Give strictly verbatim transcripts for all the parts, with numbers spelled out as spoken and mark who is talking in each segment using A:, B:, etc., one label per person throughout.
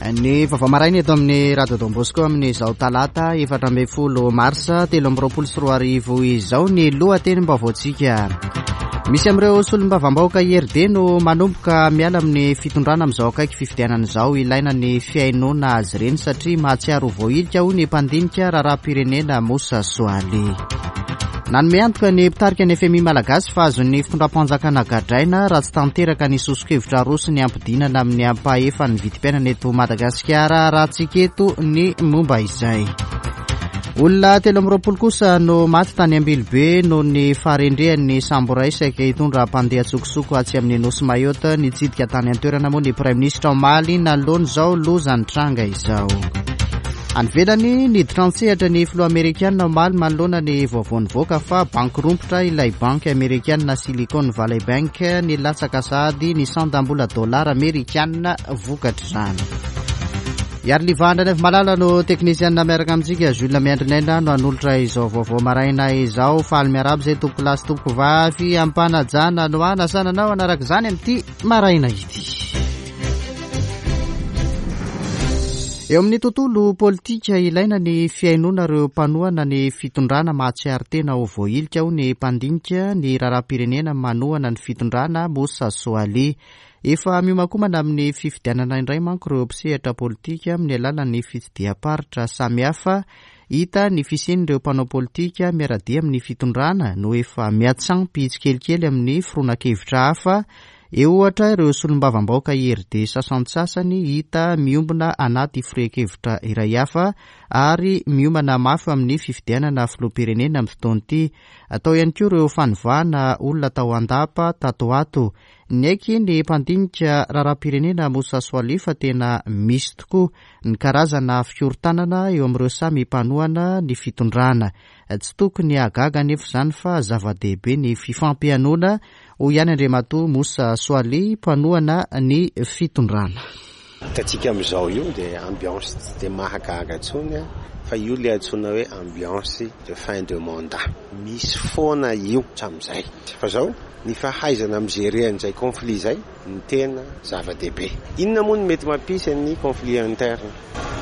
A: Ny vaovao maraina eto amin'ny Radio Don Bosco amin'izao talata efatra ambin'ny folo marsa telo amby roapolo sy roa arivo izao ny lohatenim-baovaontsika. Misy amin'ireo solombavambahoaka I R D no manomboka miala amin'ny fitondrana amin'izao akaiky fifidianana izao. Ilaina ny fihainoana azy ireny satria mahatsiaro voahilika, hoy ny mpandinika raharaham-pirenena Moussa Soaly. Nanome antoka ny mpitarika ny F M I malagasy fa azon'ny fitondram-panjakana gadraina raha tsy tanteraka ny soso-kevitra roso ny ampidinana amin'ny ampahefa ny vidim-piainana eto Madagasikara. Raha tsiketo ny momba izay, olona telo amby roapolo kosa no maty tany Ambilobe noho ny faharendrehan'ny sambo iray saika hitondra mpandeha tsokosoko atsy amin'ny nosy Mayotte. Nitsidika tany an-toerana moa ny praiminisitra omaly nanoloana izao loza nitranga izao. Any ivelany, niditra an-tsehatra ny filoha amerikanina omaly manoloana ny vaovao nivoaka fa banky rompotra ilay banky amerikanina Silicon Valley Bank. Nilatsaka sahady ny sandam-bola dollara amerikanina vokatr'izany. Iary Livandra ny malala no teknisianina miaraka amintsika. Jules Miandrinaina no hanolotra izao vaovao maraina izao. Faly miarahaba izay tompoko lahy sy tompoko vavy, ampanajana no anasananao anaraka izany amin'ity maraina ity. Eo amin'ny tontolo politika, ilaina ny fihainoana ireo mpanohana ny fitondrana mahatsiaro tena ho voahilika, hoy ny mpandinika ny raharaham-pirenena manohana ny fitondrana Moussa Soaly. Efa miomakomana amin'ny fifidianana indray manko ireo mpisehatra politika amin'ny alalan'ny fitsidiham-paritra samihafa. Hita ny fisian'ireo mpanao politika miara-dia amin'ny fitondrana no efa miatsampy tsikelikely amin'ny fironan-kevitra hafa. Eo ohatra ireo solombavambahoaka I R D sasantsasany hita miombona anaty firehan-kevitra iray hafa ary miomana mafy amin'ny fifidianana filoham-pirenena amin'ny fotoana ity. Atao ihany koa ireo fanovana olona tao an-dapa tato ato. Niaiky ny mpandinika raharaham-pirenena Moussa Soaly fa tena misy tokoa ny karazana fikorontanana eo amin'ireo samy mpanohana ny fitondrana. Tsy tokony hahagaga nefa izany fa zava-dehibe ny fifampihainoana, hoy ihany Andriamatoa Moussa Soaly, mpanohana ny fitondrana.
B: Hitantsika amin'izao io dia ambiance tsy de mahagaga intsony a, fa io le antsoina hoe ambiance de fin de mandat. Misy foana io hatramin'izay, fa zao ny fahaizana mi-gérer an'izay conflit zay ny tena zava-dehibe. Inona moa no mety mampisy ny conflit interne?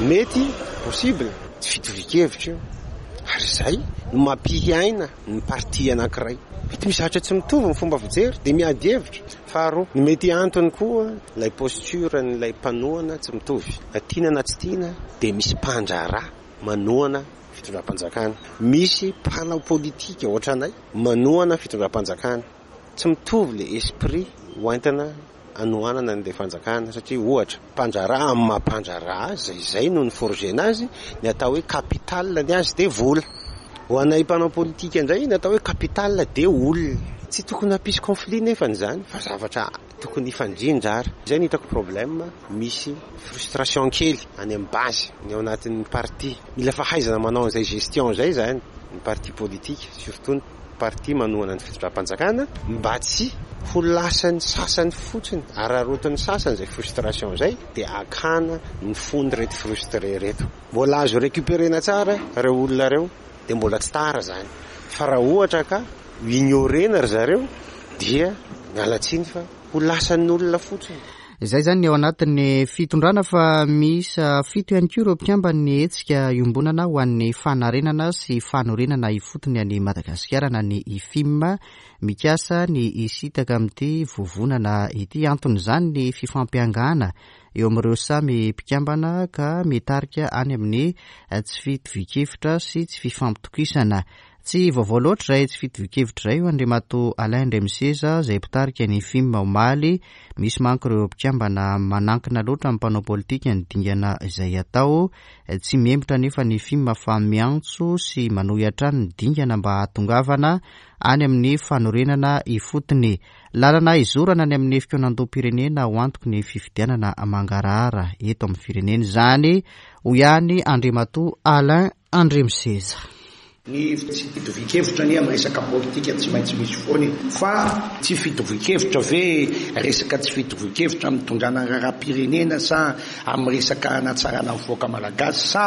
B: Mety possible tsy fitovi-kevitra io, ary zay no mampiaina ny parti anankiray. Mety misy zavatra tsy mitovy ny fomba fijery de miady hevitra. Faharoa, ny mety antony koa lay posture n'ilay mpanohana tsy mitovy, na tiana na tsy tiana, de misy mpandraharaha manohana fitondram-panjakana, misy mpanao politika ohatranay manohana fitondram-panjakana. Tsy mitovy le esprit hoentina anohanana an'le fanjakana, satria ohatra mpandraharaha amin'ny mampandraharaha azy zay zay no ny forgena azy, ny atao hoe capital ny azy de vola. Ho anay mpanao politika indray, ny atao hoe capital de olona. Tsy tokony hampisy conflit nefany zany, fa zavatra tokony hifandrindra. Ary zay ny hitako problème, misy frustration kely any amin'ny base ny ao anatin'ny parti. Mila fahaizana manao an'izay gestion zay zany ny parti politique, surtout ny parti manohana ny fitondram-panjakana, mba tsy ho lasany sasany fotsiny ararotiny sasany zay frustration zay, de akana ny fony reto frustré reto. Mbola azo récupérena tsara reo olona reo, de mbola tsy tara zany. Fa raha ohatra ka ignorena ry zareo, dia mialatsiny fa ho lasan'ny olona fotsiny.
A: Izay zany ny ao anatin'ny fitondrana, fa misy fito ihany koa ireo mpikambany hetsika iombonana ho an'ny fanarenana sy fanorenana ifotony any Madagasikara na ny I F I M mikasa ny isitaka amin'ity vovonana ity. Anton'izany ny fifampiangana eo amin'ireo samy mpikambana ka mitarika any amin'ny tsy fitovi-kevitra sy tsy fifampitokisana. Tsy vaovao loatra zay tsy fitovi-kevitra zay io, Andriamatoa Alain Andriamiseza zay mpitarika ny F I M omaly. Misy manko ireo mpikambana manankina loatra amin'ny mpanao politika ny dingana izay atao. Tsy mihemotra nefa ny F I M fa miantso sy manohy hatrany ny dingana mba hahatongavana any amin'ny fanorenana ifotony, lalana izorana any amin'ny fikaonandoham-pirenena ho antoky ny fifidianana mangarahara eto amin'ny firenena izany, hoy ihany Andriamatoa Alain Andriamiseza.
C: Ny tsy fitovi-kevitra ny amin'ny resaka politika tsy maintsy misy foany, fa tsy fitovi-kevitra ve, resaka tsy fitovi-kevitra mitondrana ny raharaham-pirenena sa amin'ny resaka anatsarana ny vahoaka malagasy sa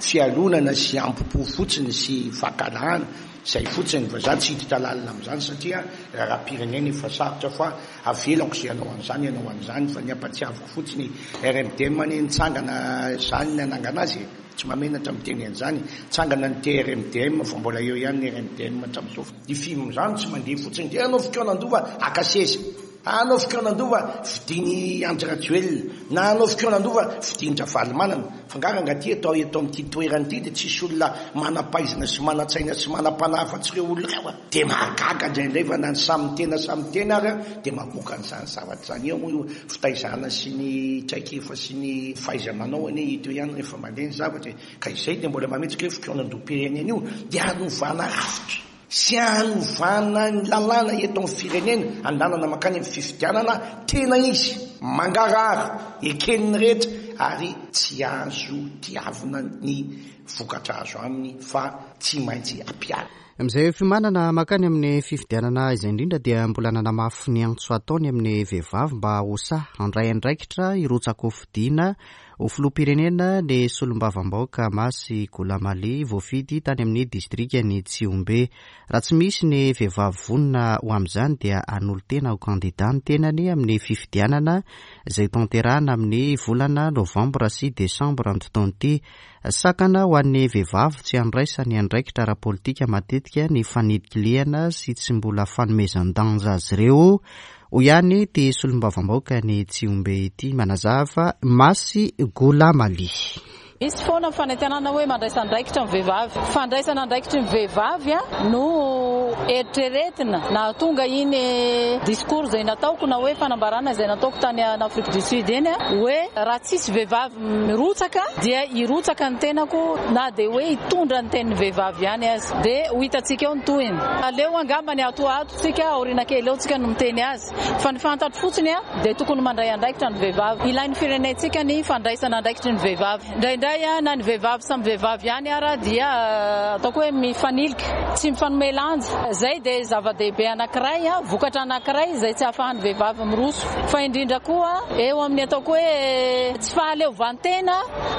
C: fialonana sy ampo-po fotsiny sy fankahalana? Zay fotsiny fa za tsy hiditra lalina amin'izany satria raharaham-pirenena efa sarotra, fa avelako izay hanao an'izany hanao an'izany, fa ny ampatsiaviko fotsiny R M D M anie nitsangana zany nanangana azy e. Tsy mahamenatra miteny an'izany, tsangana ny T R M D M fa mbola eo ihany ny R M D M hatramin'izao. Ny film zany tsy mandeha fotsiny dia hanao fikaonandoha haka seza, hanao fikaonandoha fidiny Andry Rajoelina, na hanao fikaonandoha fidiny Ravalomanana. Fa nga raha ty atao eto amin'ity toerana ity dia tsisy olona manam-pahaizana sy manan-tsaina sy manam-panahy afa-tsy ireo olona ireo a. Dia mahagaga indraindray fa na ny samy tena samy tena ary a, dia mamoaka an'izany zavatra izany. Eo moa io fitaizana sy ny traikefa sy ny fahaiza-manao anie hita eo ihany rehefa mandeha ny zavatra e. Ka izay dia mbola mametsika hoe fikaonandoham-pirenena io dia hanovana rafitra sy hanovana ny lalàna eto amin'ny firenena, andanana mankany amin'ny fifidianana tena izy, mangarahara, eken'ny rehetra ary tsy azo tiavina ny vokatra azo aminy fa tsy maintsy ampiharina.
A: Amin'izay fiomanana mankany amin'ny fifidianana izay indrindra dia mbola nanamafy ny antso ataony amin'ny vehivavy mba ho sahy handray andraikitra hirotsaka-hofidiana ho filoham-pirenena ny solombavambahoaka Masy Goulamaly voafidy tany amin'ny distrikan'i Tsihombe. Raha tsy misy ny vehivavy vonona ho amin'izany dia hanolo-tena ho kandida ny tenany amin'ny fifidianana izay tanterahana amin'ny volana novambra sy desambra amin'ity taona ity. Sakana ho an'ny vehivavy tsy handraisany andraikitra ara-politika matetika ny fanilikilihana sy tsy mbola fanomezan-danja azy ireo. Hoy ihany ity solombavambahoaka ny Tsihombe ity manazava Masy Goulamaly.
D: Misy foana ny fanentanana hoe mandraisa andraikitra ny vehivavy. Fandraisana andraikitry ny vehivavy no eritreretina nahatonga iny discours izay nataoko na hoe fanambarana izay nataoko tany Afrique du Sud iny hoe raha tsisy vehivavy mirotsaka dia hirotsaka ny tenako na dia hoe hitondra ny tenin'ny vehivavy ihany aza. Dia ho hitantsika eo ny tohiny. Aleo angamba ny ato ato tsika aoriana kely eo tsika no miteny azy. Fa ny fantatro fotsiny a dia tokony mandray andraikitra ny vehivavy. Ilain'ny firenentsika ny fandraisana andraikitry ny vehivavy. Indraindray na ny vehivavy samy vehivavy ihany ara dia ataoko hoe mifanilika, tsy mifanome lanja. Zay dia zava-dehibe anankiray, vokatra anankiray izay tsy ahafahan'ny vehivavy miroso. Fa indrindra koa eo amin'ny ataoko hoe tsy fahaleovantena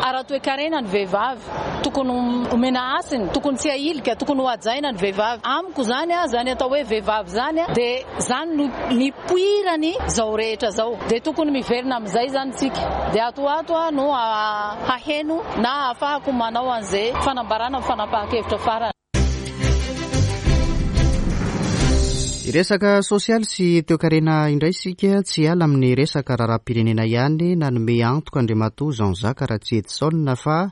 D: ara-toekarena ny vehivavy. Tokony omena hasiny, tokony tsy ahilika, tokony ho hajaina ny vehivavy. Amiko zany a, zany atao hoe vehivavy zany a, dia zany no nipoirany zao rehetra zao. Dia tokony miverina amin'izay zany tsika. Dia ato ato a no haheno na ahafahako manao an'izay fanambarana amin'ny fanapahan-kevitra farany.
A: Resaka sosialy sy toekarena indray isika, tsy hiala amin'ny resaka raharaham-pirenena ihany. Nanome antoka Andriamatoa Jean-Jacques Ratsietison fa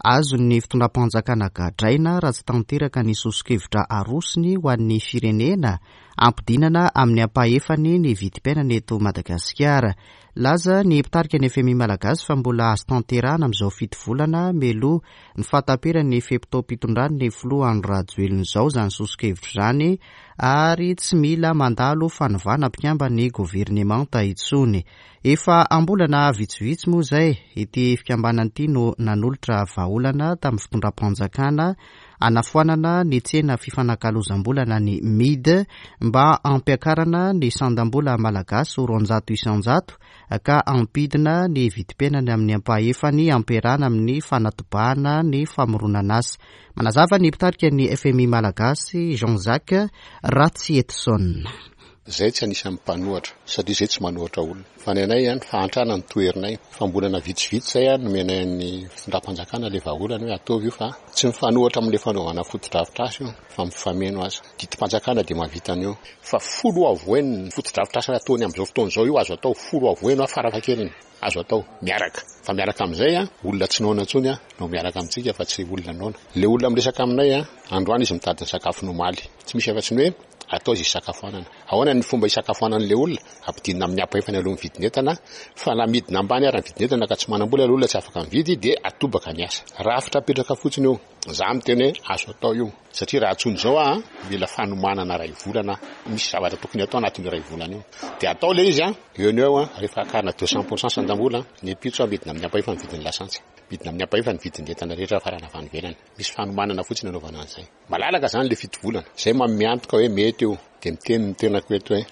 A: azon'ny fitondram-panjakana gadraina raha tsy tanteraka ny soso-kevitra arosony ho an'ny firenena ampidinana amin'ny ampahefany ny vidim-piainana eto Madagasikara. Laza ny mpitarika ny F M I Malagasy fa mbola azo tanterahana amin'izao fito volana mialoha ny fahataperan'ny fe-potoam-pitondran'ny filoha Andry Rajoelina izao izany soso-kevitra izany, ary tsy mila mandalo fanovana mpikamban'ny governemanta intsony. Efa am-bolana vitsivitsy moa izay ity fikambanana ity no nanolotra vahaolana tamin'ny fitondram-panjakana anafoanana ny tsena fifanakalozam-bolana ny M I D mba hampiakarana ny sandam-bola malagasy ho roanjato isanjato ka hampidina ny vidim-piainana amin'ny ampahefany ampiarahana amin'ny fanatobahana ny famoronana asa. Manazava ny mpitarika ny F M I Malagasy Jean-Jacques Ratsietison.
E: Zay tsy anisan'ny mpanohatra satria zay tsy manohatra olona. Fa ny anay ihany fahantrana ny toherinay. Fambolana vitsivitsy zay ihany nomenay ny fitondram-panjakana le vahaolana hoe ataovy io fa tsy mifanohatra amin'le fanaovana fotodrafitrasa io fa mifameno aza. Didim-panjakana dia mahavita an'io. Fa folo avoeny ny fotodrafitrasa ataony amin'izao fotoana izao io azo atao folo avoeny farafahakeliny. Azo atao miaraka. Fa miaraka amin'izay a, olona tsy noana intsony a, no miaraka amintsika fa tsy olona noana. Le olona miresaka aminay a, androany izy mitady ny sakafony omaly. Tsy misy afa-tsy ny hoe atao izy hisakafoanana. Ahoana ny fomba hisakafoanan'ilay olona? Ampidinina amin'ny ampahefany aloha ny vidin'entana, fa na midina ambany ary ny vidin'entana ka tsy manam-bola ilay olona tsy afaka mividy dia atobaka ny asa. Rafitra apetraka fotsiny io. Za miteny hoe azo atao io. Satria raha antsoina izao aho, mila fanomanana iray volana. Misy zavatra tokony atao anatin'io iray volana io. Dia atao ilay izy a, eo no eo a, rehefa akarina deux cents pour cent sandam-bola, ny ampitso midina amin'ny ampahefany ny vidin'ny lasantsy. Midina amin'ny ampahefany ny vidin'ny entana rehetra farana avy any ivelany. Misy fanomanana fotsiny anaovana an'izay. Malalaka zany le fito volana. Zay manome antoka hoe mety io. Dia miteny ny tenako eto hoe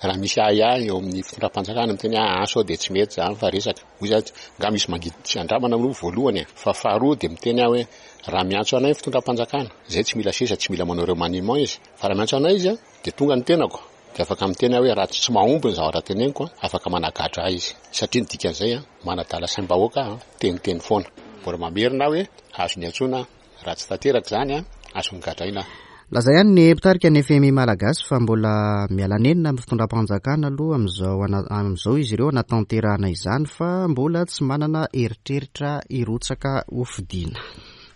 E: raha misy ahiahy eo amin'ny fitondram-panjakana miteny hoe ah sao dia tsy mety zany fa resaka. Hoy za nga misy mangidy tsy andramana aloha voalohany, fa faharoa dia miteny aho hoe raha miantso anay ny fitondram-panjakana, zay tsy mila seza, tsy mila manao remaniement izy, fa raha miantso anay izy dia tonga ny tenako. Dia afaka miteny aho hoe raha tsy mahomby ny zavatra teneniko, afaka managadra ahy izy. Satria ny dikan'izay manadala saim-bahoaka teniteny foana. Mbola mamerina aho hoe azo niantsoana, raha tsy tanteraka izany azo nogadraina.
A: Laza ihany ny mpitarika ny F M I Malagasy fa mbola miala nenina amin'ny fitondram-panjakana aloha amin'izao ana-, amin'izao izy ireo anatanterahana izany fa mbola tsy manana eritreritra hirotsaka hofidiana.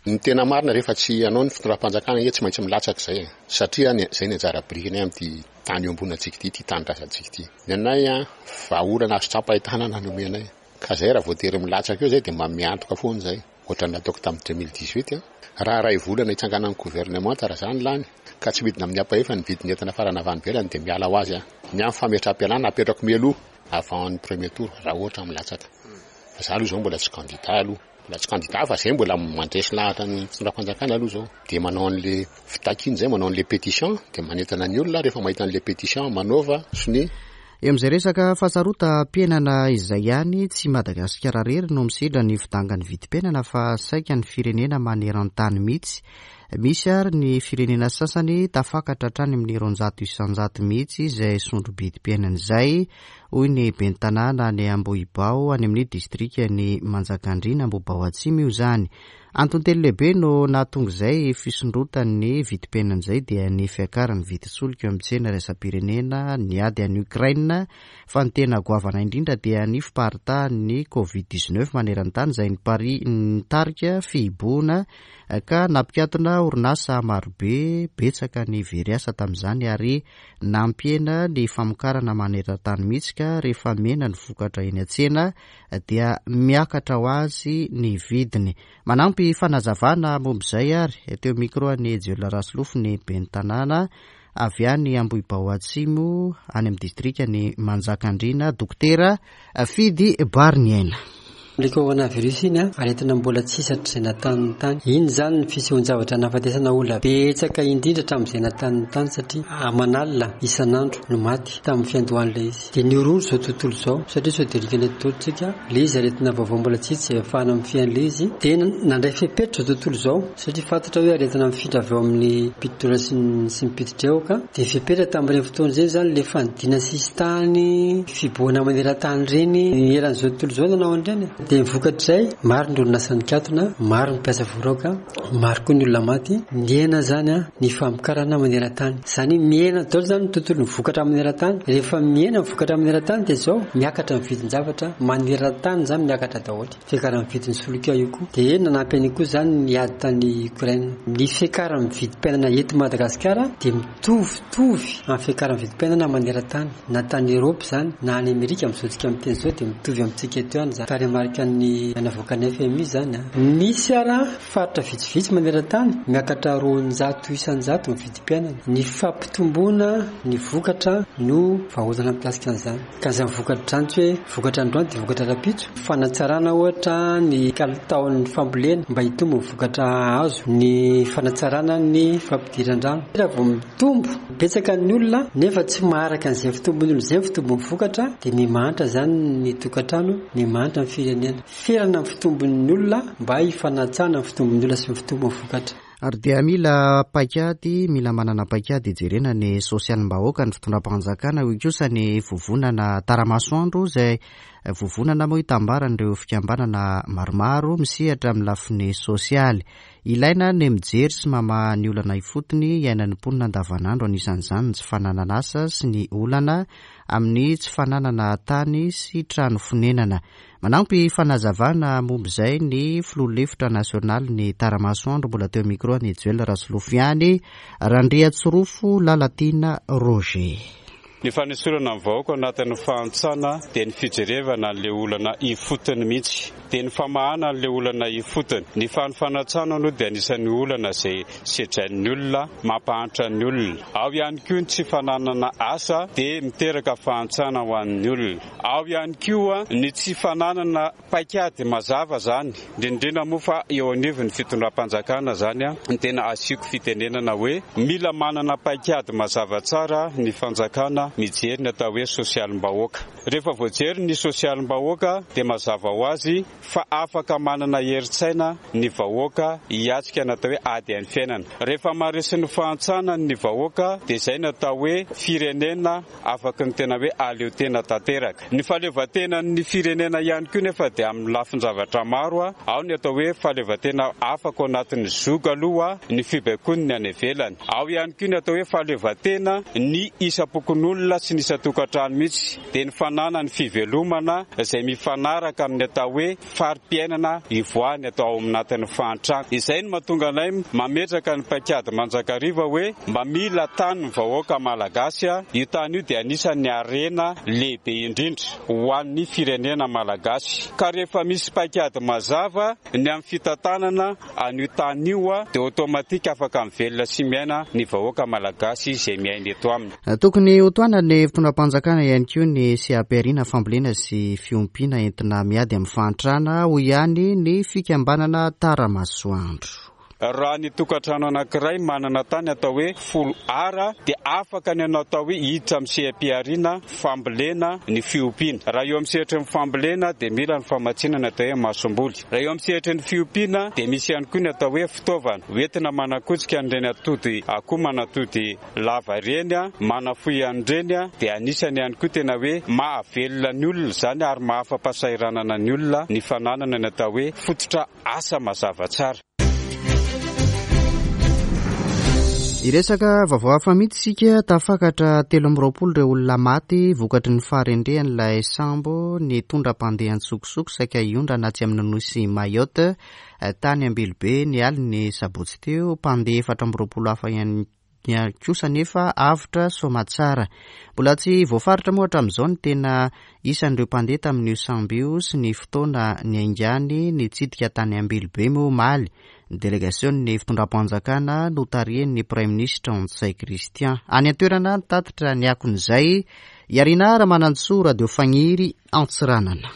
E: Ny tena marina rehefa tsy hanao ny fitondram-panjakana anie tsy maintsy milatsaka izay, satria ny-, izay ny anjara birikiny amin'ity tany eo ambonantsika ity, ity tanindrazantsika ity. Ny anay a, vahaolana azo tsapain-tanana no omenay. Ka izay raha voatery milatsaka eo izay dia mba miantoka foana izay. Ohatran'ny nataoko tamin'ny deux mille dix-huit a, raha iray volana hitsanganan'ny gouvernemanta raha izany lany, ka tsy midina amin'ny ampahefa ny vidin'ny entana farany avy any ivelany dia miala ho azy a. Ny amin'ny fametraham-pialana apetrako mialoha avant ny premier tour raha ohatra milatsaka. Fa za aloha izao mbola tsy candidat aloha. Mbola tsy candidat fa zay mbola mandresy lahatra ny fitondram-panjakana aloha izao. Dia manao an'le fitakiana izay, manao an'le pétition, dia manentana ny olona rehefa mahita an'le pétition manaova sonia.
A: Eo amin'izay resaka fahasarotam-piainana izay ihany, tsy Madagasikara irery no misedra ny fidangan'ny vidim-piainana fa saika ny firenena maneran-tany mihitsy. Misy ary ny firenena sasany tafakatra hatrany amin'ny roanjato isanjato mihitsy izay sondro-bidim-piainana izay, hoy ny ben'ny tanàna any Ambohibao any amin'ny distrikan'i Manjakandriana Ambohibao Atsimo io izany. Antony telo lehibe no nahatonga izay fisondrotan'ny vidim-piainana izay dia ny fiakaran'ny vidin-tsolika eo amin'ny tsena iraisam-pirenena, ny ady any Ukraine, fa ny tena goavana indrindra dia ny fiparitahan'ny covid dix-neuf maneran-tany izay nipari-, nitarika fihibohana ka nampikatona orinasa marobe, betsaka ny very asa tamin'izany ary nampihena ny famokarana maneran-tany mihitsy ka rehefa mihena ny vokatra eny an-tsena dia miakatra ho azy ny vidiny. Manampy fanazavana momba izay ary teo micro an'i Joel Rasolofo ny ben'ny tanàna avy any Ambohibao Atsimo any amin'ny distrikan'i Manjakandriana, Dokotera Fidy Bariniaina.
F: Le coronavirus iny a, aretina mbola tsy hisy hatrizay nataon'ny tany. Iny izany ny fisehoan-javatra nahafatesana olona betsaka indrindra hatramin'izay nataon'ny tany satria aman'alina isan'andro no maty tamin'ny fiandohan'ilay izy. Dia nihorohoro izao tontolo izao satria sao dia rikana eto daholo tsika, ilay izy aretina vaovao mbola tsy hita izay ahafahana mifehy an'ilay izy. Dia nandray fepetra izao tontolo izao satria fantatra hoe aretina mifindra avy eo amin'ny mpitodra sy ny, sy ny mpitodreoka. Dia fepetra tamin'ireny fotoana izay izany ilay fanidina sisintany, fibohana maneran-tany ireny, ny eran'izao tontolo izao nanao an'ireny. Dia ny vokatr'izay, maro ny orinasa nikatona, maro ny mpiasa voaroaka, maro koa ny olona maty. Mihena izany a, ny famokarana maneran-tany. Izany hoe mihena daholo izany ny tontolon'ny vokatra maneran-tany. Rehefa mihena ny vokatra maneran-tany dia izao, miakatra ny vidin-javatra maneran-tany izany miakatra daholo. Fiakaran'ny vidin'ny solika io koa. Dia nanampy an'io koa izany ny ady tany Ukraine. Ny fiakaran'ny vidim-piainana eto Madagasikara dia mitovitovy amin'ny fiakaran'ny vidim-piainana maneran-tany. Na tany Eropa izany, na any Amerika amin'izao tsika miteny izao dia mitovy amintsika eto ihany izany. Tarehimarika ny navoakan'ny F M I izany a. Misy ara faritra vitsivitsy maneran-tany miakatra roanjato isanjato ny vidim-piainana. Ny fampitomboana ny vokatra no vahaolana mikasika an'izany. Ka izany vokatra izany tsy hoe vokatra androany dia vokatra rahampitso. Fanatsarana ohatra ny kalitaon'ny fambolena mba hitombo ny vokatra azo, ny fanatsarana ny fampidiran-drano. Raha vao mitombo betsaka ny olona nefa tsy maharaka an'izay fitombon'ny olona izay ny fitombon'ny vokatra dia mimahantra izany ny tokantrano, mimahantra ny firenena. Ferana ny fitombon'ny olona mba hifanatsana ny fitombon'ny olona sy ny fitombon'ny vokatra.
A: Ary dia mila paikady, mila manana paikady hijerena ny sosialim-bahoaka ny fitondram-panjakana, hoy kosa ny vovonana Taramasoandro izay vovonana moa hitambaran'ireo fikambanana maromaro misehatra amin'ny lafiny sosialy. Ilaina ny mijery sy mamaha ny olana ifotony iainan'ny mponina andavanandro, anisan'izany ny tsy fananana asa sy ny olana amin'ny tsy fananana tany sy trano fonenana. Manampy fanazavana momba izay ny filoha lefitra nasionaly ny Taramasoandro mbola teo micro ny Joel Rasolofo ihany, Randriatsorofo Lalatiana Roger.
G: Ny fanesorana ny vahoaka anatin'ny fahantrana dia ny fijerevana an'ilay olana ifotony mihitsy, dia ny famahana an'ilay olana ifotony. Ny fanofanan-trano aloha dia anisan'ny olana izay sedrain'ny olona, mampahantra ny olona. Ao ihany koa ny tsy fananana asa dia miteraka fahantrana ho an'ny olona. Ao ihany koa ny tsy fananana paikady mazava zany, indrindrindra moa fa eo anivon'ny fitondram-panjakana zany ny tena asiako fitenenana hoe mila manana paikady mazava tsara ny fanjakana mijery ny atao hoe sosialim-bahoaka. Rehefa voajery ny sosialim-bahoaka dia mazava ho azy fa afaka manana herin-tsaina ny vahoaka hiatrika ny atao hoe ady amin'ny fiainana. Rehefa maharesy ny fahantrana ny vahoaka dia izay ny atao hoe firenena afaky ny tena hoe aleo tena tanteraka. Ny fahaleovantenan'ny firenena ihany koa nefa dia amin'ny lafin-javatra maro, ao ny atao hoe fahaleovantena afaka ao anatin'ny zoga aloha ny fibaikoany any ivelany. Ao ihany koa ny atao hoe fahaleovantena ny isam-pokonolona sy ny isan-tokantrano mihitsy, dia ny fananany fivelomana izay mifanaraka amin'ny atao hoe fari-piainana ivoahany atao ao anatin'ny fahantrana. Izay no mahatonga anay mametraka ny paikady mandrakariva hoe mba mila tany ny vahoaka malagasy. Io tany io dia anisan'ny harena lehibe indrindra ho an'ny firenena malagasy. Ka rehefa misy paikady mazava ny amin'ny fitantanana an'io tany io dia automatique afaka mivelona sy miaina ny vahoaka malagasy izay miaina eto aminy.
A: Tokony hotohanan'ny fitondram-panjakana ihany koa ny seha-pihariana fambolena sy fiompiana entina miady amin'ny fahantrana, hoy ihany ny fikambanana Taramasoandro.
G: Raha ny tokantrano anankiray manana tany atao hoe folo ara dia afaka ny anao atao hoe hiditra amin'ny seha-pihariana fambolena ny fiompiana. Raha eo amin'ny sehatry ny fambolena dia mila ny famatsiana ny atao hoe masomboly. Raha eo amin'ny sehatry ny fiompiana dia misy ihany koa ny atao hoe fitaovana hoentina manakotsika an'ireny atody akoho manatody lava ireny, manafohy an'ireny, dia anisany ihany koa tena hoe mahavelona ny olona izany ary mahafa-pahasahiranana ny olona ny fananana ny atao hoe fototra asa mazava tsara.
A: Hiresaka vaovao hafa mihitsy isika. Tafakatra telo amby roapolo ireo olona maty vokatry ny faharendrehan'ilay sambo nitondra mpandeha an-tsokosoko saika hiondrana atsy amin'ny nosy Mayotte tany Ambilobe ny alin'ny sabotsy teo. Mpandeha efatra amby roapolo hafa ihany kosa nefa avotra soamatsara. Mbola tsy voafaritra moa hatramin'izao ny tena isan'ireo mpandeha tamin'io sambo io sy ny fotoana niaingany nitsidika tany Ambilobe moa omaly. Ny delegasion'ny fitondram-panjakana notarihin'ny Praiminisitra Ntsay Christian. Any an-toerana nitatitra ny akon'izay Iarina Ramanantsoa, Radio Fagniry Antsiranana.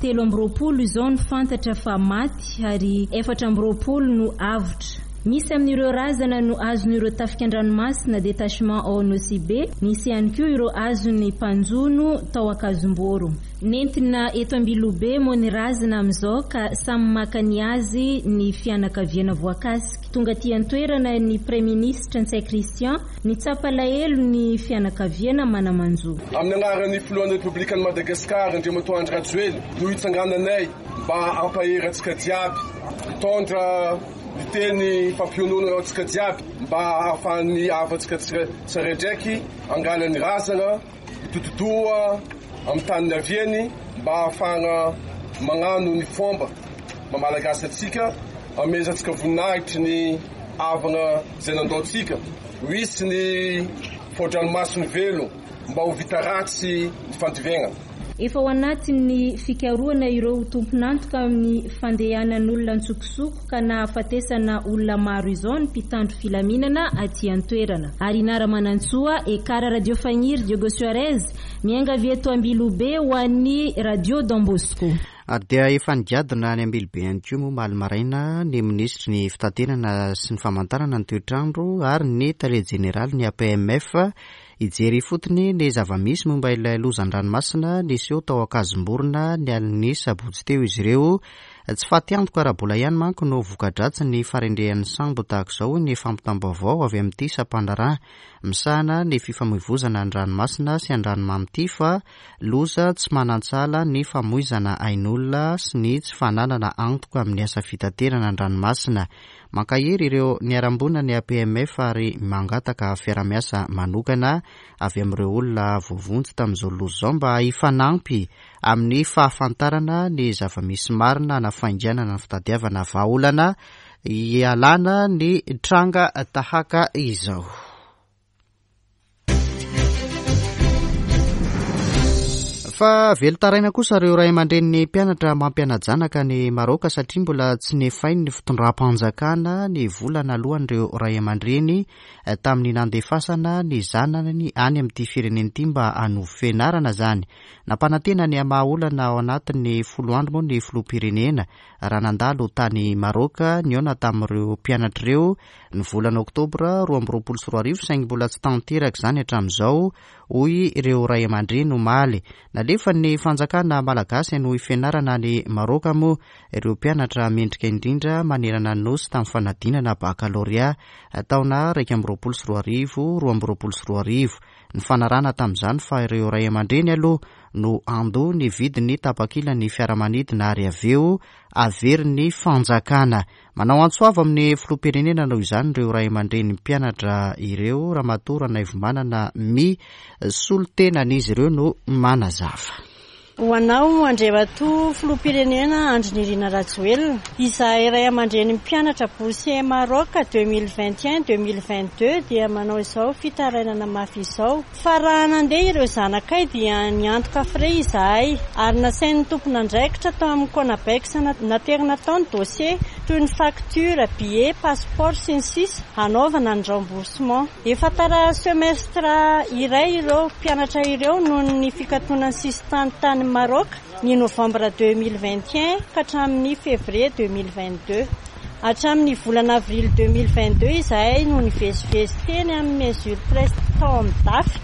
H: Telo amby roapolo izao no fantatra fa maty ary efatra amby roapolo no avotra. Misy amin'ireo razana no azon'ireo tafika an-dranomasina détachement ao Nosy Be, misy ihany koa ireo azon'ny mpanjono tao Ankazomboro. Nentina eto Ambilobe moa ny razana amin'izao ka samy maka ny azy ny fianakaviana voakasika. Tonga aty an-toerana ny Praiminisitra Ntsay Christian nitsapa alahelo ny fianakaviana mana-manjo.
I: Amin'ny anaran'ny filohan'ny Repoblikan'i Madagasikara Andriamatoa Andry Rajoelina no hitsangananay mba hampahery antsika jiaby, hitondra ny teny fampiononana antsika jiaby mba hahafahan'ny havantsika tsiraidraiky angala ny razana, hitototoa amin'ny tany niaviany mba hahafahana magnano ny fomba mamalagasy antsika, amezantsika voninahitry ny havana izay nandao antsika. Ho hisy ny fao-dranomasony velo mba ho vita ratsy ny fandivenana.
H: Efa ao anatin'ny fikarohana ireo tompon'antoka amin'ny fandehanan'olona an-tsokosoko ka nahafatesana olona maro izao ny mpitandro filaminana aty an-toerana. Arina Ramanantsoa, Ekara Radio Fagniry, Diego Suarez, miainga avy eto Ambilobe ho an'ny Radio Don Bosco.
A: Ary dia efa nigadona any Ambilobe ihany koa moa omaly maraina ny minisitry ny fitaterana sy ny famantarana ny toetrandro ary ny tale jeneraly ny A P M F hijery ifotony ny zava-misy momba ilay lozan-dranomasina niseho tao Ankazomborona ny alin'ny sabotsy teo izy ireo. Tsy fatiantoka ara-bola ihany manko no voka-dratsy ny faharendrehan'ny sambo tahaka izao ny fampitam-baovao avy amin'ity sampandraharaha misahana ny fifamoivozana an-dranomasina sy an-dranomamy ity fa loza tsy manan-tsahala ny famoizana ain'olona sy ny tsy fananana antoka amin'ny asa fitaterana an-dranomasina. Mankahery ireo niharam-boina ny A P M F ary mangataka fiarahamiasa manokana avy amin'ireo olona voavonjy tamin'izao loza izao mba hifanampy amin'ny fahafantarana ny zava-misy marina na fainganana ny fitadiavana vahaolana hialana ny tranga tahaka izao. Fa velon-taraina kosa ireo ray aman-drenin'ny mpianatra mampiana-janaka any Maroka satria mbola tsy nefain'ny fitondram-panjakana ny vola naloan'ireo ray aman-dreny tamin'ny nandefasana ny zanany any amin'ity firenena ity mba hanovo fianarana izany. Nampanantena ny hamaha olana ao anatin'ny folo andro moa ny filoham-pirenena raha nandalo tany Maroka nihaona tamin'ireo mpianatra ireo ny volana oktobra roa amby roapolo sy roa arivo, saingy mbola tsy tanteraka izany hatramin'izao, hoy ireo ray aman-dreny omaly. Nalefa ny fanjakana malagasy hanohy fianarana any Maroka moa ireo mpianatra mendrika indrindra manerana ny nosy tamin'ny fanadinana bakalorea taona iraika amby roapolo sy roa arivo, roa amby roapolo sy roa arivo. Ny fanarahana tamin'izany fa ireo ray aman-dreny aloha no andoa ny vidiny tapakila ny fiaramanidina ary avy eo averin'ny fanjakana. Manao antso avo amin'ny filoham-pirenena noho izany ireo ray aman-dreny mpianatra ireo. Ramatoa Ranaivomanana mi solontenan'izy ireo no manazava.
J: Ho anao Andriamatoa filoham-pirenena Andry Nirina Rajoelina, izahay ray aman-dreny mpianatra boursier Maroc deux mille vingt et un deux mille vingt deux dia manao izao fitarainana mafy izao. Fa raha nandeha ireo zanakay dia niantoka frais izahay ary nasain'ny tompon'andraikitra tao amin'ny Conabex naterina tao ny dossier toy ny facture, billet, passeport sy ny sisa hanaovana ny remboursement. Efa tara semestre iray ireo mpianatra ireo noho ny fikatonan'ny sisintany tany Maroc ny novembre deux mille vingt et un ka hatramin'ny février deux mille vingt deux. Hatramin'ny volana avril deux mille vingt deux izahay no nivezivezy teny amin'ny mesure presse tao amin'ny D A F.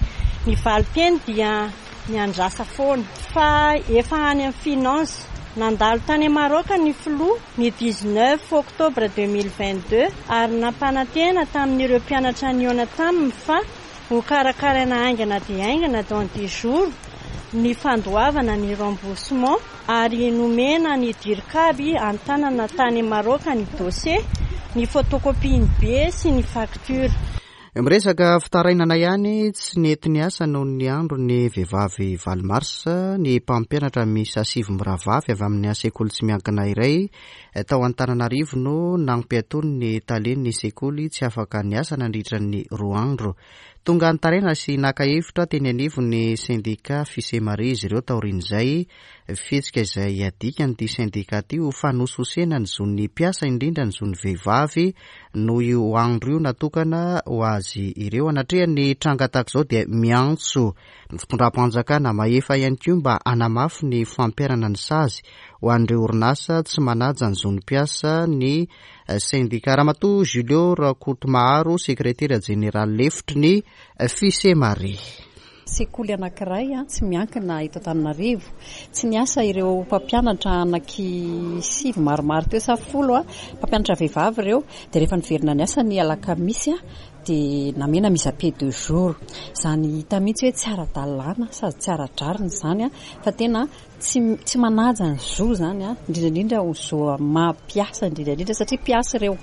J: Ny valin-teny dia niandrasa foana fa efa any amin'ny finance. Nandalo tany Maroc ny filoha ny dix-neuf octobre deux mille vingt deux ary nampanantena tamin'ireo mpianatra nihaona taminy fa ho karakaraina haingana dia haingana dans dix jours ny fandoavana ny remboursement ary nomena ny dirikaby an-tanana tany Maroc ny dossier, ny photocopie ny billet sy ny facture.
A: Miresaka fitarainana ihany, tsy nety niasa noho ny andro ny vehivavy valo marsa ny mpampianatra miisa sivy mirahavavy avy amin'ny sekoly tsy miankina iray tao Antananarivo no nampiatony ny talen'ny sekoly tsy afaka niasa nandritra ny roa andro. Tonga nitaraina sy naka hevitra teny anivon'ny sendika Fisemare izy ireo taorian'izay fihetsika izay adikan'ity sendika ity ho fanososena ny zon'ny mpiasa indrindra ny zon'ny vehivavy noho io andro io natokana ho azy ireo. Anatrehan'ny tranga tahaka izao dia miantso ny fitondram-panjakana mahefa ihany koa mba hanamafy ny fampiharana ny sazy ho an'ireo orinasa tsy manaja ny zon'ny mpiasa ny sendika. Ramatoa Julio Rakotomaharo, sekretera jeneraly lefitry ny Fisemare.
K: Sekoly anankiray tsy miankina eto Antananarivo. Tsy niasa ireo mpampianatra anaky sivy maromaro teo sa folo, mpampianatra vehivavy ireo, dia rehefa niverina niasa ny alakamisy dia namena mise à pied deux jours. Izany hita mihitsy hoe tsy ara-dalàna sady tsy ara-drariny izany, fa tena tsy tsy manaja ny zo izany, indrindra indrindra ho zo maha mpiasa indrindra indrindra satria mpiasa ireo.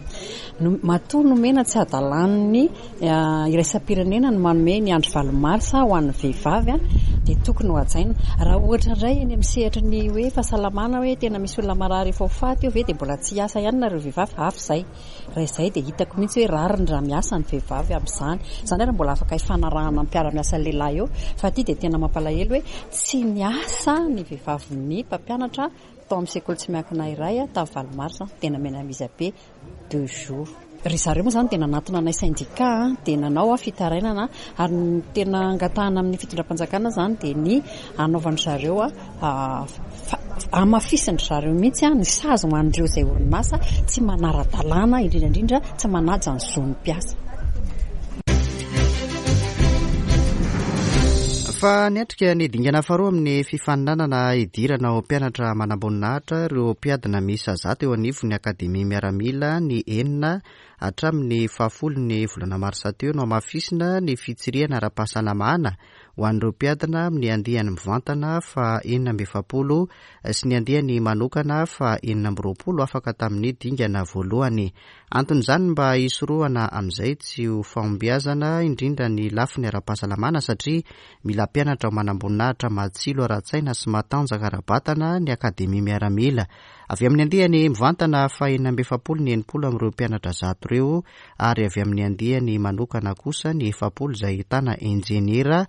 K: Matoa nomena tsy adalàn'ny iraisam-pirenena ny manome ny andro valo marsa ho an'ny vehivavy, dia tokony ho hajaina. Raha ohatra indray eny amin'ny sehatry ny hoe fahasalamana hoe tena misy olona marary efa ho faty eo ve dia mbola tsy hiasa ihany nareo vehivavy, hafa izay. Raha izay dia hitako mihitsy hoe rariny raha miasa ny vehivavy amin'izany. Izany ary mbola afaka hifanarahana amin'ny mpiara-miasa lehilahy eo, fa ity dia tena mampalahelo hoe tsy niasa ny vehivavin'ny mpampianatra tao amin'ny sekoly tsy miankina iray tamin'ny valo marsa, dia namena mise à pied deux jours. Ry zareo moa izany dia nanatona anay sendika, dia nanao fitarainana ary ny tena angatahana amin'ny fitondram-panjakana izany dia ny hanaovan-dry zareo hamafisin-dry zareo mihitsy ny sazy ho an'ireo izay orinasa tsy manara-dalàna, indrindra indrindra tsy manaja ny zon'ny mpiasa.
A: Fa niatrika ny dingana faharoa amin'ny fifaninanana hidirana ho mpianatra manamboninahitra ireo mpiadina miisa zato eo anivon'ny Akademia Miaramila ny enina hatramin'ny fahafolo ny volana marsa teo no hamafisina ny fitsirihana ara-pahasalamana ho an'ireo mpiadina amin'ny andiany mivantana fa enina amby efapolo sy ny andiany manokana fa enina amby roapolo afaka tamin'ny dingana voalohany. Anton'izany mba hisorohana amin'izay tsy ho fahombiazana indrindra ny lafiny ara-pahasalamana satria mila mpianatra ho manamboninahitra matsilo ara-tsaina sy matanjaka ara-batana ny Akademia Miaramila. Avy amin'ny andiany mivantana fa enina amby efapolo ny enimpolo amin'ireo mpianatra zato ireo ary avy amin'ny andiany manokana kosa ny efapolo izay ahitana injeniera,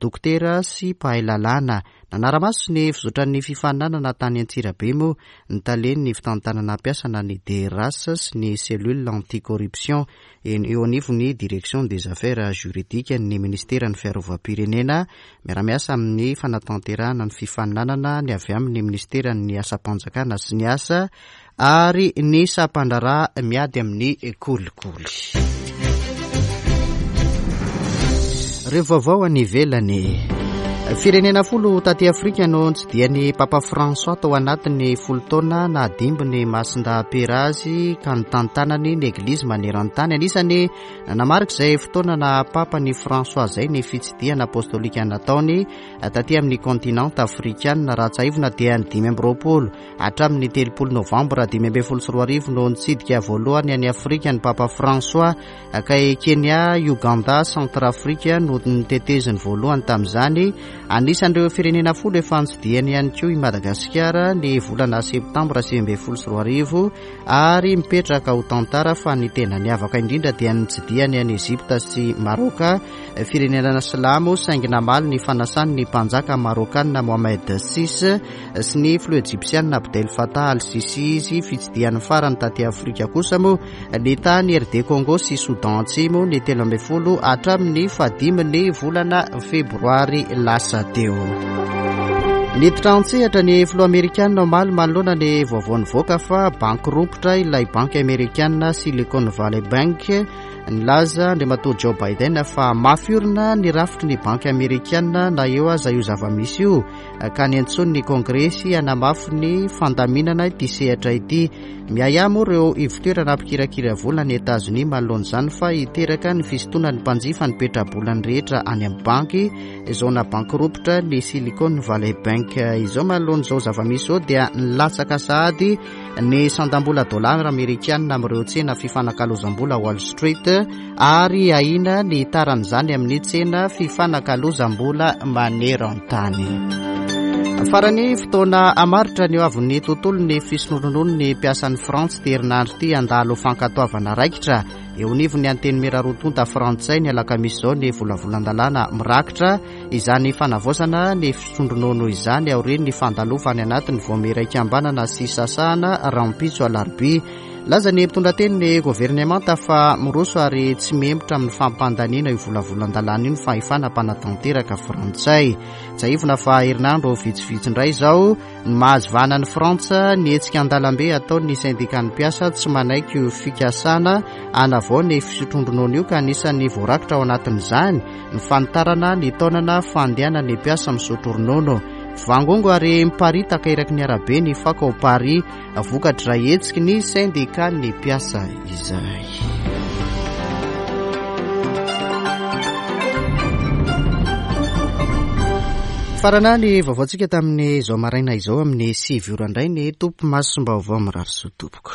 A: dokotera sy mpahay lalàna. Nanara-maso ny fizotran'ny fifaninanana tany Antsirabe moa ny talen'ny fitantanana mpiasana ny D R H sy ny cellule anticorruption eo anivon'ny direction des affaires juridiques ny ministeran'ny fiarovam-pirenena. Miara-miasa amin'ny fanatanterahana ny fifaninanana ny avy amin'ny ministeran'ny asam-panjakana sy ny asa ary ny sampandraharaha miady amin'ny kolikoly. Ireo vaovao any ivelany. Firenena folo taty Afrika no nitsidihan'ny Papa François tao anatin'ny folo taona nahadimby ny Masindahy-Pera azy ka nitantanany ny Eglizy maneran-tany. Anisany nanamarika izay fotoana naha Papa ny François izay ny fitsidihana apostolika nataony taty amin'ny kontinanta afrikana. Raha tsiahivina dia ny dimy amby roapolo hatramin'ny telopolo novambra dimy ambin'ny folo sy roa arivo no nitsidika voalohany any Afrika ny Papa François, ka i Kenya, Uganda, Centrafrique no niteteziny voalohany tamin'izany. Anisan'ireo firenena folo efa nitsidihany ihany koa i Madagasikara ny volana septambra sivy ambin'ny folo sy roa arivo, ary mipetraka ho tantara fa ny tena niavaka indrindra dia nitsidihany any Egypta sy Maroka, firenena silamo, saingy namaly ny fanasany ny mpanjaka marokanina Mohamed six sy ny filoha ejipsianina Abdel Fattah al-Sisi izy. Fitsidihany farany taty Afrika kosa moa ny tany R D Congo sy Soudan Atsimo ny telo ambin'ny folo hatramin'ny fahadimy ny volana febroary lasa teo. Niditra an-tsehatra ny filoha amerikanina omaly manoloana ny vaovao nivoaka fa banky rompitra ilay banky amerikanina Silicon Valley Bank. Nilaza Andriamatoa Joe Biden fa mafy orina ny rafitry ny banky amerikanina na eo aza io zava-misy io, ka niantsoany ny kongresy hanamafy ny fandaminana ity sehatra ity. Miahiahy moa ireo ivotoerana mpikirakira vola ny Etazonia manoloana izany fa hiteraka ny fisintonan'ny mpanjifa ny petrabolany rehetra any amin'ny banky izao na banky rompitra ny Silicon Valley Bank izao. Manoloana izao zava-misy izao dia nilatsaka sahady ny sandam-bola dolara amerikanina amin'ireo tsena fifanakalozam-bola Wall Street, ary ahiana ny taran'izany amin'ny tsena fifanakalozam-bola maneran-tany. Farany fotoana hamaritra ny ho avin'ny tontolon'ny fisotroan-dronono ny mpiasan'ny Frantsa ity herinandro ity handalo fankatoavana raikitra eo anivon'ny Antenimiera roa tonta frantsay ny alakamisy izao ny volavolan-dalàna mirakitra izany fanavaozana ny fisotroan-dronono izany aorian'ny fandalovany anatin'ny vaomiera ikambanana sy sasahana rahampitso alarobia. Laza ny mpitondra teny ny governemanta fa miroso ary tsy mihemotra amin'ny fampandaniana io volavolan-dalàna io ny fahefana mpanatanteraka frantsay. Tsiahivina fa herinandro vitsivitsy indray izao ny mahazo vahana ny Frantsa ny hetsika an-dalambe ataon'ny sendikan'ny mpiasa tsy manaiky io fikasana hanavao ny fisotroan-dronono io, ka anisan'ny voarakitra ao anatin'izany ny fanitarana ny taonana fandehanan'ny mpiasa misotro ronono. Vangongo ary miparitaka eraky ny arabe ny fako ao Paris vokatra hetsiky ny sendikan'ny mpiasa izay. Farana ny vaovaontsika tamin'ny izao maraina izao amin'ny sivy ora indray ny tompo masom-baovao mirary soa tompoko.